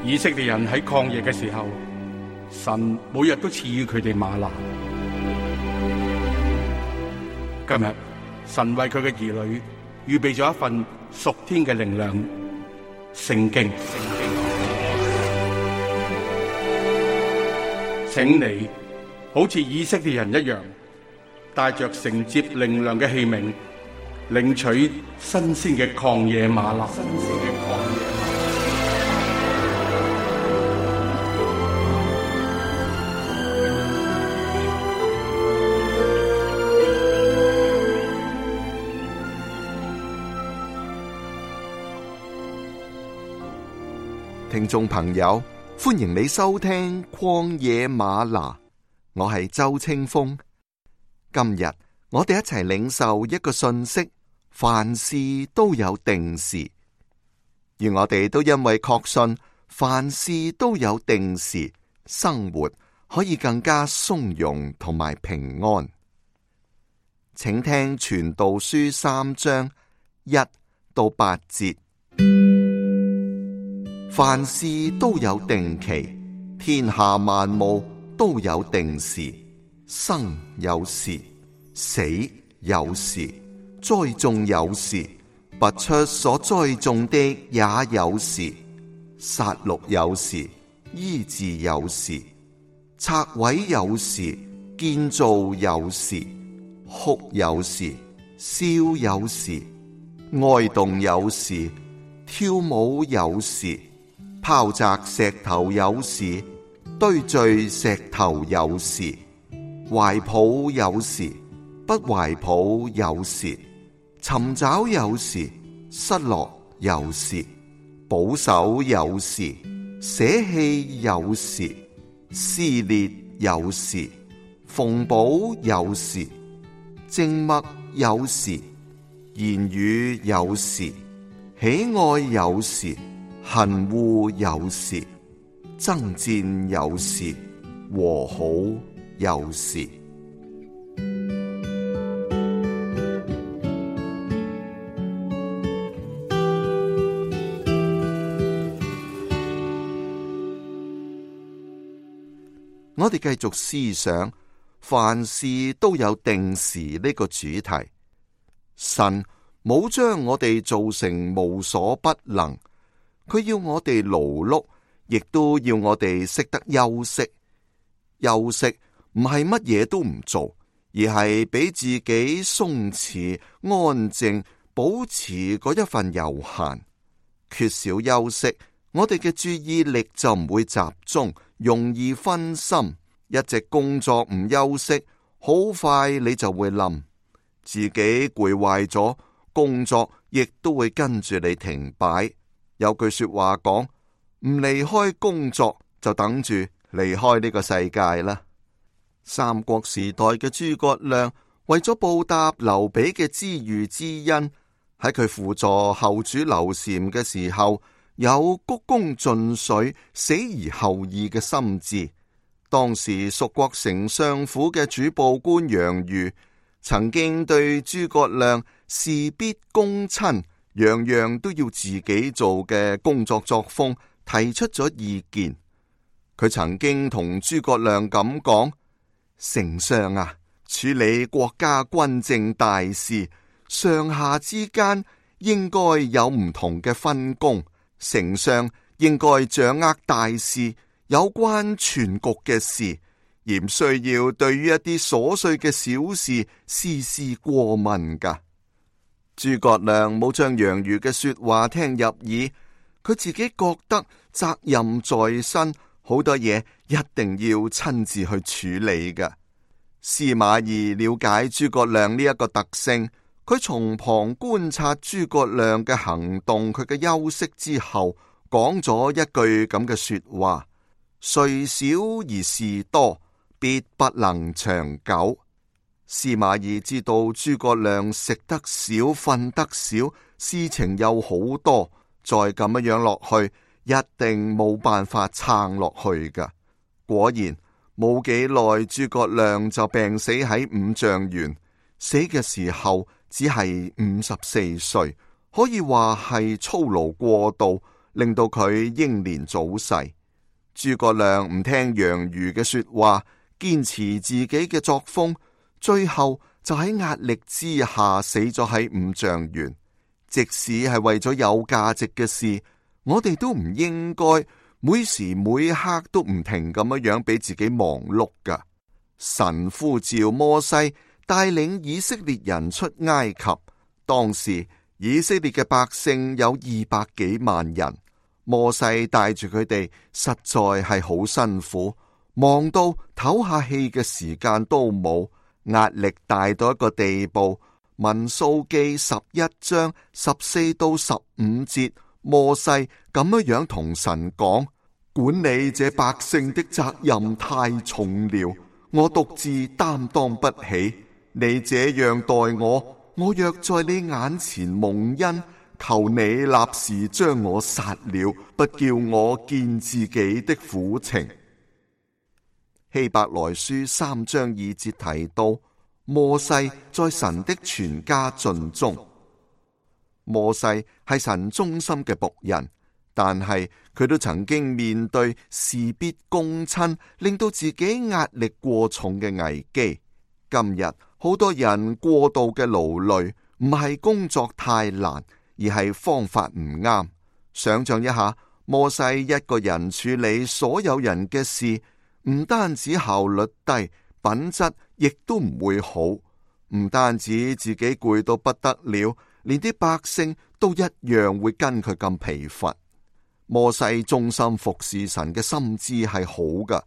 以色列人喺曠野嘅時候，神每日都賜予佢哋嗎哪。今日神為佢嘅兒女預備咗一份屬天嘅靈糧——聖經。請你好似以色列人一樣，帶着承接靈糧嘅器皿，領取新鮮嘅曠野嗎哪。聽眾朋友，歡迎你收聽曠野嗎哪，我係周清風。今日我哋一齊領受一個訊息：凡事都有定時，而我哋都因為確信凡事都有定時，生活可以更加從容同埋平安。請聽傳道書3章1到8節。凡事都有定期，天下萬物都有定時，生有時，死有時，栽種有時，拔出所栽種的也有時，殺戮有時，醫治有時，拆毀有時，建造有時，哭有時，笑有時，哀慟有時，跳舞有時，拋擲石頭有時，堆聚石頭有時，懷抱有時，不懷抱有時，尋找有時，失落有時，保守有時，捨棄有時，撕裂有時，縫補有時，靜默有時，言語有時，喜愛有時，恨惡有時，爭戰有時，和好有時。我哋繼續思想凡事都有定時呢個主題。神冇將我哋做成無所不能，佢要我哋勞碌，亦都要我哋識得休息。休息唔係乜嘢都唔做，而係俾自己鬆弛、安靜，保持嗰一份悠閒。缺少休息，我哋嘅注意力就唔會集中，容易分心。一直工作唔休息，好快你就會冧，自己攰壞咗，工作亦都會跟住你停擺。有句說話講，唔離開工作就等住離開呢個世界啦。三國時代嘅諸葛亮為咗報答劉備嘅知遇之恩，喺佢輔助後主劉禪嘅時候，有鞠躬盡瘁、死而後已嘅心志。當時蜀國丞相府嘅主簿官楊瑜曾經對諸葛亮事必躬親，樣樣都要自己做嘅工作作風提出咗意見。佢曾經同諸葛亮咁講：丞相啊，處理國家軍政大事，上下之間應該有唔同嘅分工，丞相應該掌握大事，有關全局嘅事，而唔需要對於一啲瑣碎嘅小事絲絲過問噶。諸葛亮冇將楊瑜嘅說話聽入耳，佢自己覺得責任在身，好多嘢一定要親自去處理噶。司馬懿了解諸葛亮呢一個特性，佢從旁觀察諸葛亮嘅行動，佢嘅休息之後，講咗一句咁嘅說話：睡少而事多，必不能長久。司馬懿知道諸葛亮食得少、瞓得少，事情又好多，再咁樣落去，一定冇辦法撐落去噶。果然冇幾耐，諸葛亮就病死喺五丈原，死嘅時候只係54歲，可以話係操勞過度，令到佢英年早逝。諸葛亮唔聽楊儒嘅說話，堅持自己嘅作風，最後就喺壓力之下死咗喺五丈原。即使係為咗有價值嘅事，我哋都唔應該每時每刻都唔停咁樣俾自己忙碌噶。神呼召摩西帶領以色列人出埃及，當時以色列嘅百姓有200幾萬人，摩西帶住佢哋實在係好辛苦，忙到唞下氣嘅時間都冇，壓力大到一個地步。民數記11章14到15節，摩西咁樣同神講：管理這百姓的責任太重了，我獨自擔當不起。你這樣待我，我若在你眼前蒙恩，求你立時將我殺了，不叫我見自己的苦情。希伯來書3章2節提到，摩西在神的全家盡忠。摩西係神忠心嘅僕人，但係佢都曾經面對事必躬親，令到自己壓力過重嘅危機。今日好多人過度嘅勞累，唔係工作太難，而係方法唔啱。想象一下，摩西一個人處理所有人嘅事，唔單止效率低，品質亦都唔會好。唔單止自己攰到不得了，連啲百姓都一樣會跟佢咁疲乏。摩西忠心服侍神嘅心志係好噶，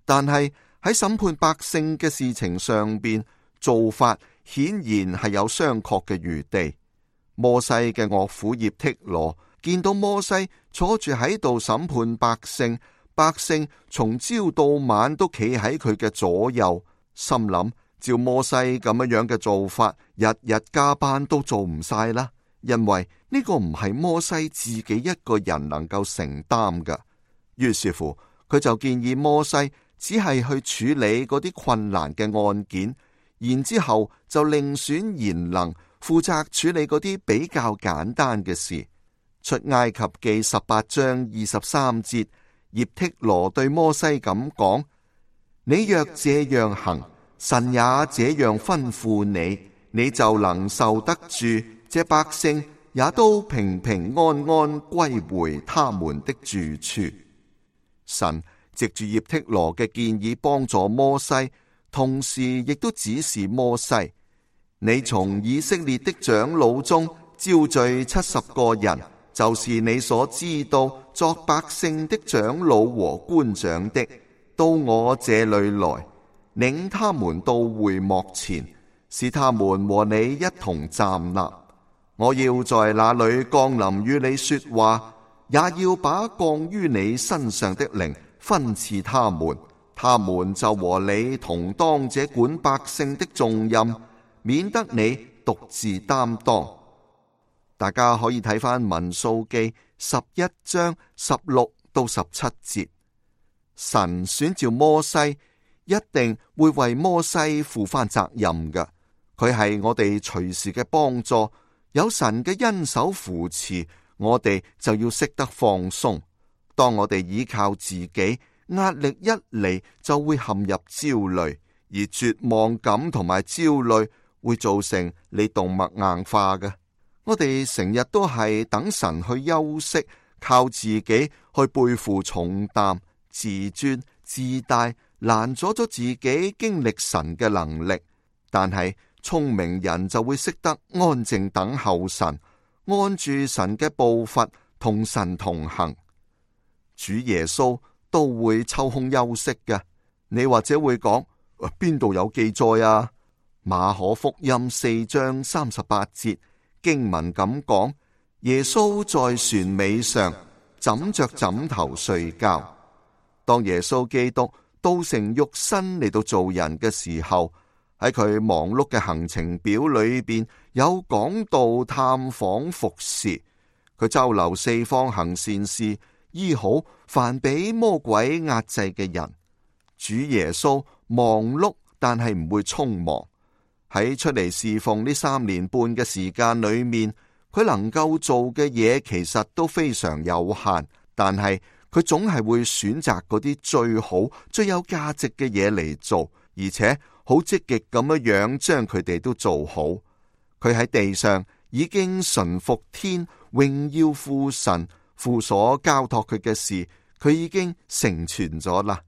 但係喺審判百姓嘅事情上邊，做法顯然係有商榷嘅餘地。摩西嘅岳父葉忒羅見到摩西坐住喺度審判百姓，百姓從朝到晚都企喺佢嘅左右，心諗照摩西咁樣嘅做法，日日加班都做唔晒啦，因為呢個唔係摩西自己一個人能夠承擔㗎。於是乎，佢就建議摩西只係去處理嗰啲困難嘅案件，然之後就另選賢能負責處理嗰啲比較簡單嘅事。出埃及記18章23節，葉忒羅對摩西咁講：你若這樣行，神也這樣吩咐你，你就能受得住，這百姓也都平平安安歸回他們的住處。神藉住葉忒羅嘅建議幫助摩西，同時亦都指示摩西：你從以色列的長老中招聚70個人，就是你所知道作百姓的長老和官長的，到我這裏來，領他們到會幕前，使他們和你一同站立。我要在那裏降臨與你說話，也要把降於你身上的靈分賜他們，他們就和你同當這管百姓的重任，免得你獨自擔當。大家可以睇返民數記11章16到17節。神選召摩西，一定會為摩西負返責任嘅。佢係我哋隨時嘅幫助，有神嘅恩手扶持，我哋就要識得放鬆。當我哋依靠自己，壓力一嚟就會陷入焦慮，而絕望感同埋焦慮會造成你動脈硬化嘅。我哋成日都係等神去休息，靠自己去背負重擔，自尊自大，攔阻咗自己經歷神嘅能力。但係聰明人就會識得安靜等候神，按住神嘅步伐同神同行。主耶穌都會抽空休息嘅。你或者會講，邊度有記載啊？馬可福音4章38節。經文咁講，耶穌在船尾上枕着枕頭睡覺。當耶穌基督道成肉身嚟到做人嘅時候，喺佢忙碌嘅行程表裏邊有講道、探訪、服侍。佢周流四方行善事，醫好凡俾魔鬼壓制嘅人。主耶穌忙碌，但係唔會匆忙。喺出嚟侍奉呢3年半嘅時間裏面，佢佢能夠做嘅嘢其實都非常有限，但係佢總係會選擇嗰啲最好、最有價值嘅嘢嚟做，而且好積極咁樣將佢哋都做好。佢喺地上已經順服天，榮耀父神，父所交託佢嘅事，佢已經成全咗啦。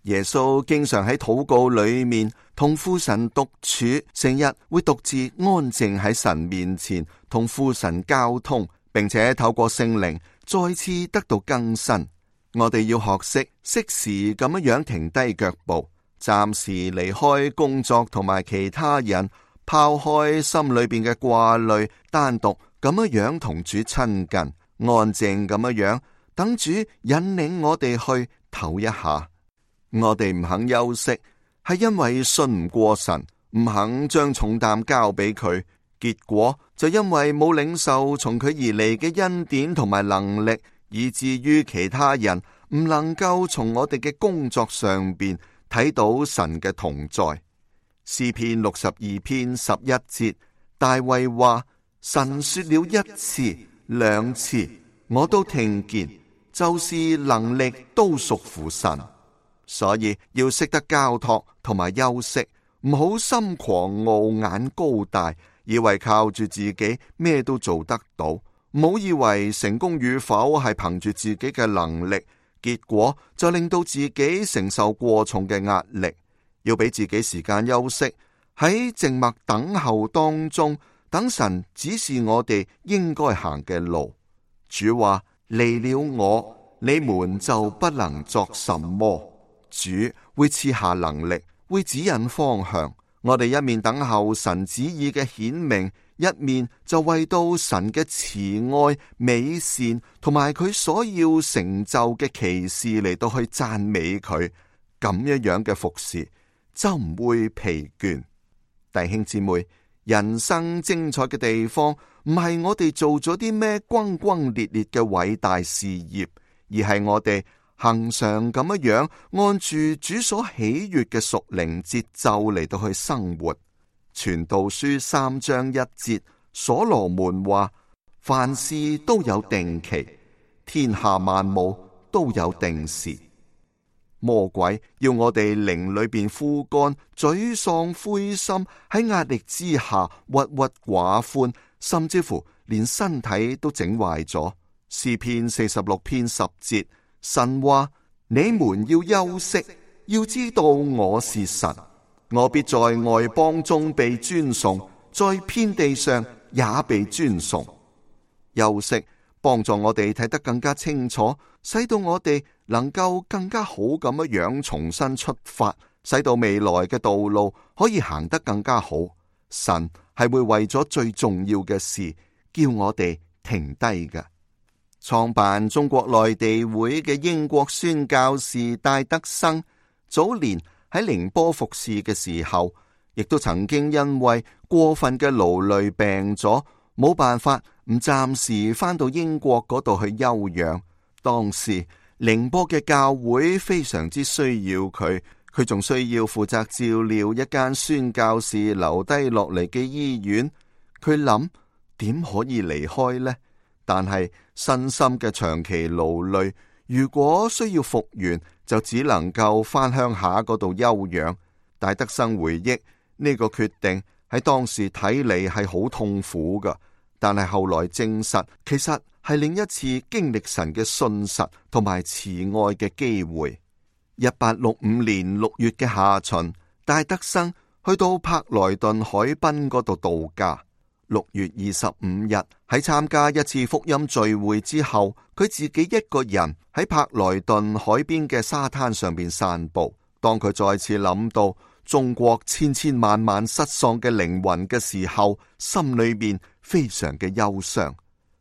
耶穌經常喺禱告裏面同父神獨處，成日會獨自安靜喺神面前同父神交通，並且透過聖靈再次得到更新。我哋要學識適時咁樣停低腳步，暫時離開工作同埋其他人，拋開心裏邊嘅掛慮，單獨咁樣同主親近，安靜咁樣等主引領我哋去唞一下。我哋唔肯休息，係因為信唔過神，唔肯將重擔交俾佢，結果就因為冇領受從佢而嚟嘅恩典同埋能力，以至於其他人唔能夠從我哋嘅工作上邊睇到神嘅同在。詩篇62篇11節，大衛話：神說了一次、兩次，我都聽見，就是能力都屬乎神。所以要識得交託同埋休息，唔好心狂傲眼高大，以為靠住自己咩都做得到，唔好以為成功與否係憑住自己嘅能力，結果就令到自己承受過重嘅壓力。要俾自己時間休息，喺靜默等候當中，等神指示我哋應該行嘅路。主話：離了我，你們就不能作什麼。主會賜下能力，會指引方向。我哋一面等候神旨意嘅顯明，一面就為到神嘅慈愛、美善同埋佢所要成就嘅奇事嚟到去讚美佢。咁樣嘅服侍就唔會疲倦。弟兄姊妹，人生精彩嘅地方唔係我哋做咗啲咩轟轟烈烈嘅偉大事業，而係我哋恆常咁樣按住主所喜悅嘅屬靈節奏嚟到去生活。傳道書3章1節，所羅門話：凡事都有定期，天下萬物都有定時。魔鬼要我哋靈裏邊枯乾、沮喪、灰心，喺壓力之下鬱鬱寡歡，甚至乎連身體都整壞咗。詩篇46篇10節，神話：你們要休息，要知道我是神，我必在外邦中被尊崇，在遍地上也被尊崇。休息幫助我哋睇得更加清楚，使到我哋能夠更加好咁樣重新出發，使到未來嘅道路可以行得更加好。神係會為咗最重要嘅事叫我哋停低嘅。創辦中國內地會嘅英國宣教士戴德生，早年喺寧波服侍嘅時候，亦都曾經因為過分嘅勞累病咗，冇辦法唔暫時返到英國嗰度去休養。當時寧波嘅教會非常之需要佢，佢仲需要負責照料一間宣教士留低落嚟嘅醫院。佢諗點可以離開呢？但係身心嘅長期勞累，如果需要復原，就只能夠返鄉下嗰度休養。戴德生回憶呢個決定喺當時睇嚟係好痛苦噶，但係後來證實，其實係另一次經歷神嘅信實同埋慈愛嘅機會。1865年6月嘅下旬，戴德生去到柏萊頓海濱嗰度度假。6月25日喺參加一次福音聚會之後，佢自己一個人喺柏萊頓海邊嘅沙灘上邊散步。當佢再次諗到中國千千萬萬失喪嘅靈魂嘅時候，心裏面非常嘅憂傷。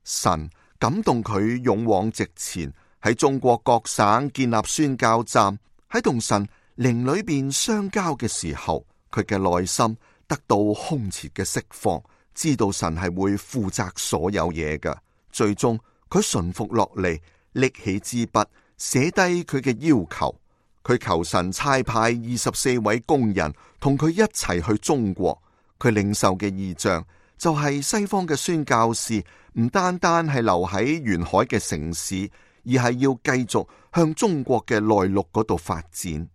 神感動佢勇往直前，喺中國各省建立宣教站。喺同神靈裏邊相交嘅時候，佢嘅內心得到空前嘅釋放，知道神係會負責所有嘢嘅。最終佢順服落嚟，拎起支筆寫低佢嘅要求。佢求神差派24位工人同佢一齊去中國。佢領受嘅異象就係西方嘅宣教士唔單單係留喺沿海嘅城市，而係要繼續向中國嘅內陸嗰度發展。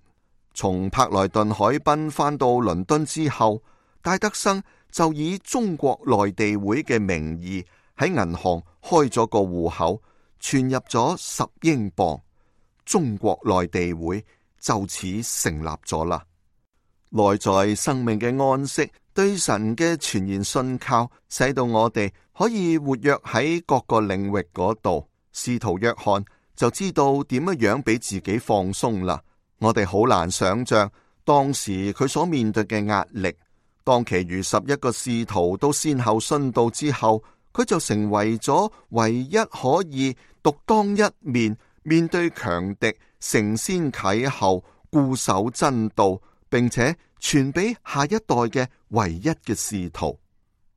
從柏萊頓海濱返到倫敦之後，戴德生就以中國內地會嘅名義喺銀行開咗個戶口，存入咗10英鎊，中國內地會就此成立咗啦。內在生命嘅安息，對神嘅全然信靠，使到我哋可以活躍喺各個領域嗰度。使徒約翰就知道點樣俾自己放鬆啦。我哋好難想象當時佢所面對嘅壓力。當其餘11個使徒都先後殉道之後，佢就成為咗唯一可以獨當一面，面對強敵，承先啟後，固守真道，並且傳俾下一代嘅唯一嘅使徒。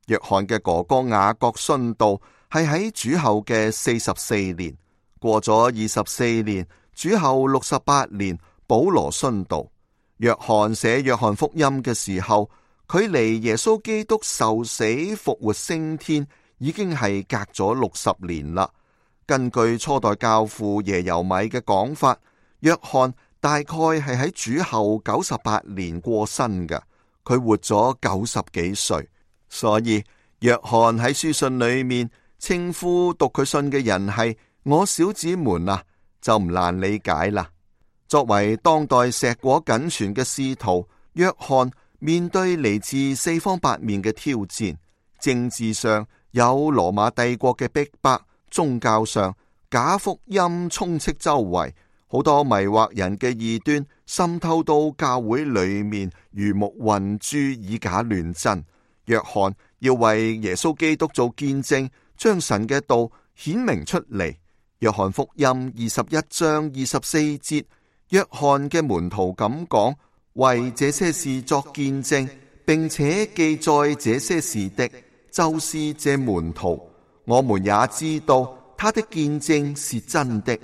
約翰嘅哥哥雅各殉道係喺主後嘅44年，過咗24年，主後68年，保羅殉道。約翰寫約翰福音嘅時候，距離耶穌基督受死復活升天已經係隔咗60年啦。根據初代教父耶柔米嘅講法，約翰大概係喺主後98年過身嘅，佢活咗90幾歲。所以約翰喺書信裏面稱呼讀佢信嘅人係我小子們啊，就唔難理解啦。作為當代碩果僅存嘅使徒，約翰面對嚟自四方八面嘅挑戰，政治上有羅馬帝國嘅逼迫，宗教上假福音充斥周圍，好多迷惑人嘅異端滲透到教會裏面，魚目混珠，以假亂真。約翰要為耶穌基督做見證，將神嘅道顯明出嚟。約翰福音21章24節，約翰嘅門徒咁講，為這些事作見證，並且記載這些事的，就是這門徒。我們也知道他的見證是真的。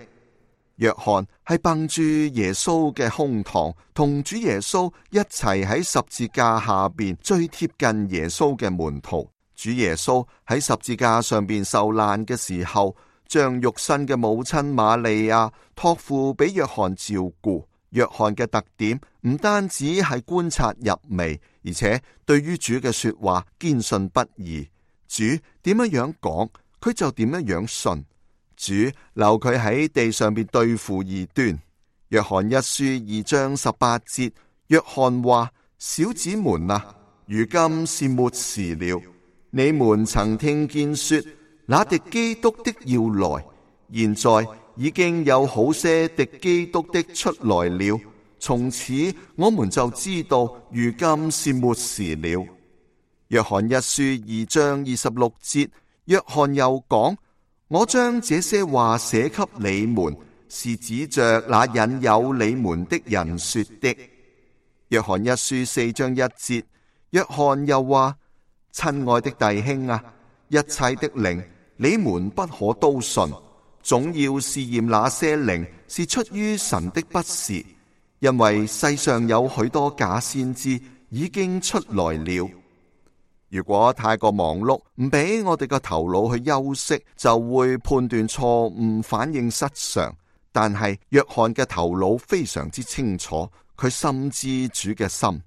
約翰係憑住耶穌嘅胸膛，同主耶穌一齊喺十字架下邊最貼近耶穌嘅門徒。主耶穌喺十字架上邊受難嘅時候，將肉身嘅母親瑪利亞託付俾約翰照顧。約翰嘅特點唔單止係觀察入微，而且對於主嘅說話堅信不疑。主點樣講，佢就點樣信。主留佢喺地上邊對付異端。約翰一書2章18節，約翰話：小子們啊，如今是末時了。你們曾聽見說，那敵基督的要來，現在已經有好些敵基督的出來了。從此我們就知道，如今是末時了。約翰一書2章26節，約翰又講：我將這些話寫給你們，是指着那引誘你們的人說的。約翰一書4章1節，約翰又話：親愛的弟兄啊，一切的靈你們不可都信，總要試驗那些靈是出於神的不是，因為世上有許多假先知已經出來了。如果太過忙碌，唔俾我哋個頭腦去休息，就會判斷錯誤，反應失常。但係約翰嘅頭腦非常之清楚，佢深知主嘅心。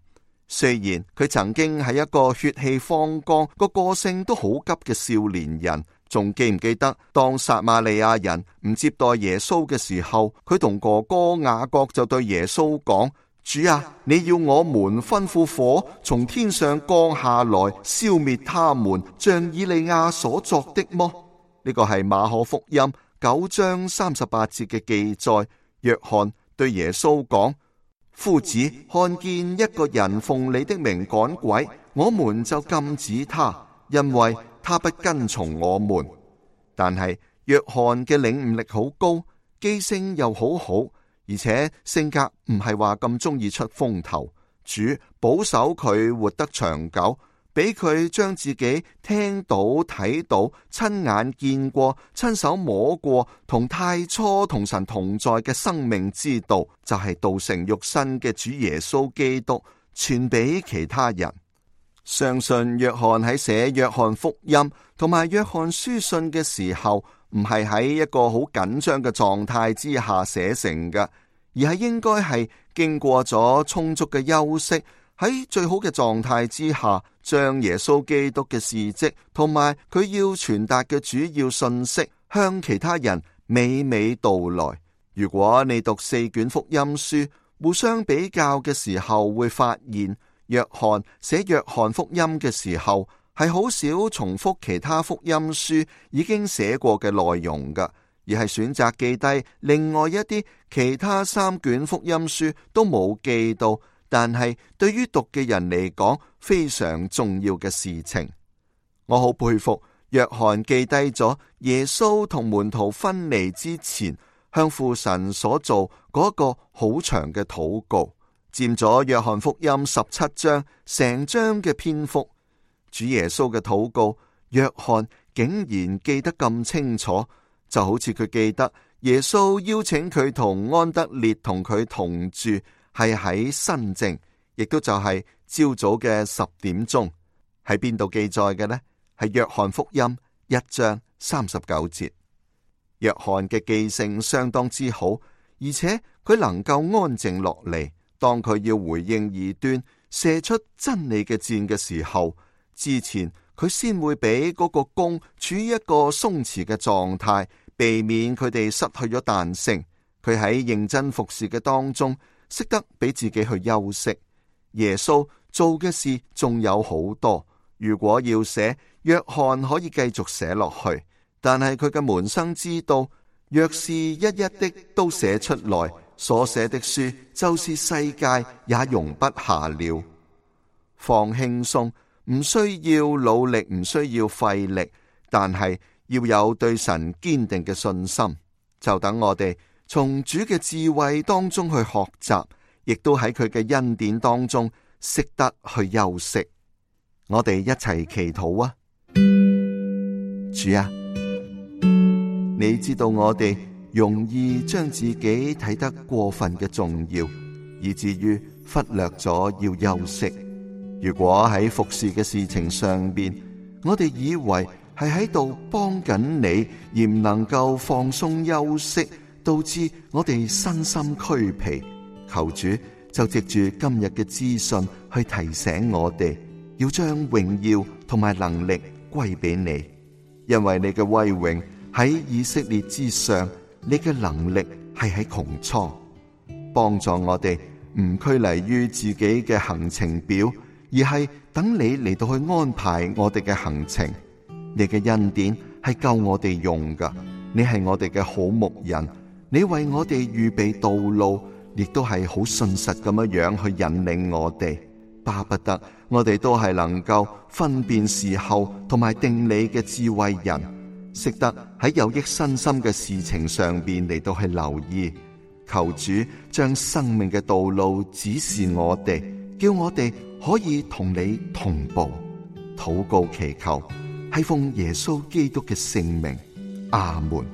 雖然佢曾經係一個血氣方剛、個性都好急嘅少年人，仲記唔記得當撒瑪利亞人唔接待耶穌嘅時候，佢同哥哥雅各就對耶穌講：主啊，你要我們吩咐火從天上降下來，消滅他們，像以利亞所作的麼？呢個係馬可福音9章38節嘅記載。約翰對耶穌講：夫子，看見一個人奉你的名趕鬼，我們就禁止他，因為他不跟從我們。但係約翰嘅領悟力好高，記性又好好，而且性格唔係話咁中意出風頭。主保守佢活得長久，俾佢將自己聽到、睇到、親眼見過、親手摸過同太初同神同在嘅生命之道，就係道成肉身嘅主耶穌基督，傳俾其他人。相信約翰喺寫約翰福音同埋約翰書信嘅時候，唔係喺一個好緊張嘅狀態之下寫成嘅，而係應該係經過咗充足嘅休息，喺最好嘅狀態之下，將耶穌基督嘅事蹟同埋佢要傳達嘅主要信息向其他人娓娓道來。如果你讀4卷福音書，互相比較嘅時候，會發現約翰寫約翰福音嘅時候，係好少重複其他福音書已經寫過嘅內容㗎，而係選擇記低另外一啲其他3卷福音書都冇記到，但係對於讀嘅人嚟講非常重要嘅事情。我好佩服約翰記低咗耶穌同門徒分離之前向父神所做嗰個好長嘅禱告，佔咗約翰福音17章成章嘅篇幅。主耶穌嘅禱告，約翰竟然記得咁清楚，就好似佢記得耶穌邀請佢同安德烈同佢同住，係喺申正，亦都就係朝早嘅10點鐘。喺邊度記載嘅呢？係約翰福音1章39節。約翰嘅記性相當之好，而且佢能夠安靜落嚟，當佢要回應異端、射出真理嘅箭嘅時候，之前佢先會俾嗰個弓處於一個鬆弛嘅狀態，避免佢哋失去咗彈性。佢喺認真服侍嘅當中，識得俾自己去休息。耶穌做嘅事仲有好多，如果要寫，約翰可以繼續寫落去。但係佢嘅門生知道，若是一一的都寫出來，所寫的書就是世界也容不下了。放輕鬆，唔需要努力，唔需要費力，但係要有對神堅定嘅信心。就等我哋從主嘅智慧當中去學習，亦都喺佢嘅恩典當中識得去休息。我哋一齊祈禱啊！主啊，你知道我哋容易將自己睇得過分嘅重要，以至於忽略咗要休息。如果喺服侍嘅事情上邊，我哋以為係喺度幫緊你，而唔能夠放鬆休息，導致我哋身心俱疲。求主就藉住今日嘅資訊去提醒我哋，要將榮耀同埋能力歸俾你，因為你嘅威榮喺以色列之上，你嘅能力係喺穹蒼。幫助我哋唔拘泥於自己嘅行程表，而係等你嚟到去安排我哋嘅行程。你嘅恩典係夠我哋用噶，你係我哋嘅好牧人，你為我哋預備道路，亦都係好信實咁樣去引領我哋。巴不得我哋都係能夠分辨時候同埋定理嘅智慧人，識得喺有益身心嘅事情上邊嚟到去留意。求主將生命嘅道路指示我哋，叫我哋可以同你同步。禱告祈求，係奉耶穌基督嘅聖名，阿門。